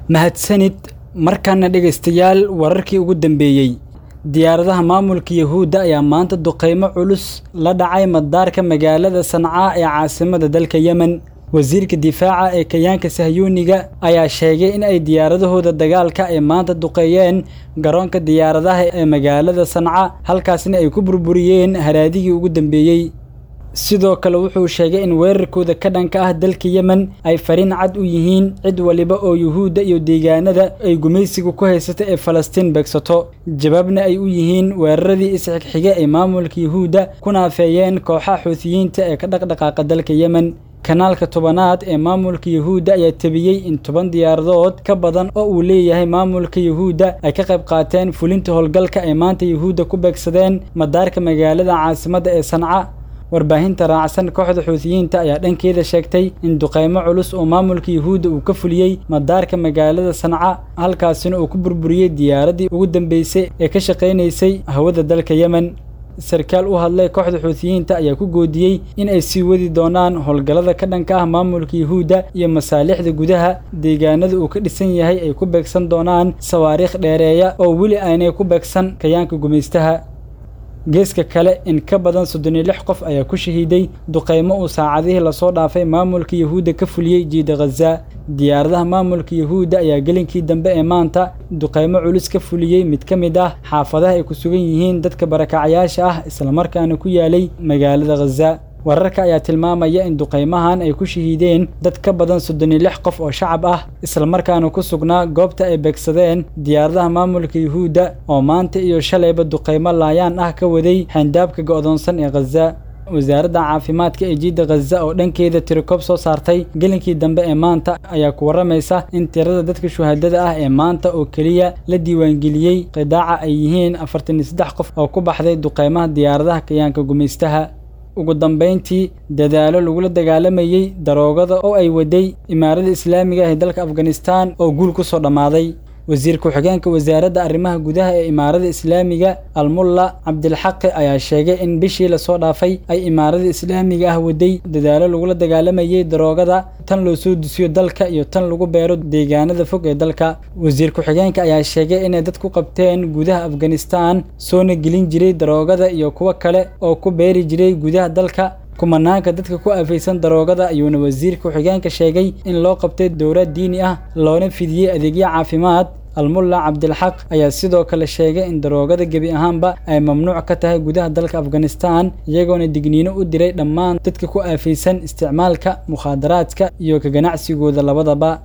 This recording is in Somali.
Mahadsanid. Markaana dhegaystayaal, wararkii ugu dambeeyey. Diyaaradaha maamulka Yahuudda ayaa maanta duqeymo culus la dhacay madaarka magaalada Sanca ee caasimada dalka Yemen. Wasiirka difaaca ee kayaanka Sahyuuniga ayaa sheegay in ay diyaaradahooda dagaalka ay maanta duqeeyeen garoonka diyaaradaha ee magaalada Sanca, halkaasna ay ku burburiyeen haraadigii ugu dambeeyey. Sidoo kale wuxuu sheegay in weerarkooda ka dhanka ah dalka Yemen ay fariin cad u yihiin cid waliba oo Yuhuudda iyo deegaanada ay gumaysiga ku haysata ee Falastiin beegsato, jawaabna ay u yihiin weeraradii isxigxiga ay maamulka Yuhuudda ku naafeeyeen kooxaha Xuuthiyiinta ee ka dhaqdhaqaaqa dalka Yemen. Kanaalka 10aad ee maamulka Yuhuudda ayaa tabiyey in 10 diyaaradood ka badan oo uu leeyahay maamulka Yuhuudda ay ka qayb qaateen fulinta howlgalka ay maanta Yuhuudda ku beegsadeen madaarka magaalada caasimadda ee Sanca. Warbaahinta raacsan kooxda Xuuthiyiinta ayaa dhankeeda sheegtay in duqeymo culus oo maamulka Yuhuudda uu ka fuliyey madaarka magaalada Sanca, halkaasina uu ku burburiyey diyaaraddii ugu dambeysay ee ka shaqaynaysay hawada dalka Yemen. Sarkaal u hadlay kooxda Xuuthiyiinta ayaa ku goodiyey in ay sii wadi doonaan howlgallada ka dhanka ah maamulka Yuhuudda iyo masaalixda gudaha deegaanada uu ka dhisan yahay ay ku beegsan doonaan sawaariikh dheereeya oo weli aanay ku beegsan kayaanka gumaystaha. Geeska kale, in ka badan 36 qof ayaa ku shahiiday duqeymo uu saacadihii lasoo dhaafay maamulka Yuhuudda ka fuliyey jiida Ghaza. Diyaaradaha maamulka Yuhuudda ayaa gelinkii dambe ee maanta duqeymo culus ka fuliyey mid ka mid ah xaafadaha ay ku sugan yihiin dadka barakacyaasha ah, islamarkaana ku yaalay magaalada Ghaza. Wararka ayaa tilmaamaya in duqeymahan ay ku shahiideen dad ka badan 36 qof oo shacab ah, islamarkaana ku sugnaa goobta ay beegsadeen diyaaradaha maamulka Yuhuudda oo maanta iyo shalayba duqeymo laayaan ah ka waday xayndaabka go'doonsan ee Ghaza. Wasaaradda caafimaadka ee jiidda Ghaza oo dhankeeda tirikoob soo saartay gelinkii dambe ee maanta ayaa ku warramaysa in tirada dadka shuhadada ah ee maanta oo keliya la diiwaangeliyey qidaaca ay yihiin 43 qof oo ku baxday duqeymaha diyaaradaha kayaanka gumaystaha. Ugu dambeyntii, dadaalo lagula dagaalamayey daroogada oo ay waday Imaarada Islaamiga ah ee dalka Afghanistan oo guul ku soo dhammaaday. Wasiir ku-xigeenka wasaaradda arrimaha gudaha ee Imaarada Islaamiga Almulla Cabdilxaqi ayaa sheegay in bishii lasoo dhaafay ay Imaarada Islaamiga ah waday dadaalo lagula dagaalamayey daroogada, tan loo soo dusiyo dalka iyo tan lagu beero deegaanada fog ee dalka. Wasiir ku-xigeenka ayaa sheegay inay dad ku qabteen gudaha Afghanistan soona gelin jiray daroogada iyo kuwo kale oo ku beeri jiray gudaha dalka. Kumanaanka dadka ku aafaysan daroogada ayuuna wasiir ku-xigeenka sheegay in loo qabtay dowlad diini ah loona fidiyey adeegyo caafimaad. Almulla Cabdilxaq ayaa sidoo kale sheegay in daroogada gebi ahaanba ay mamnuuc ka tahay gudaha dalka Afghanistan, iyagoona digniino u diray dhammaan dadka ku aafaysan isticmaalka mukhaadaraadka iyo ka ganacsigooda labadaba.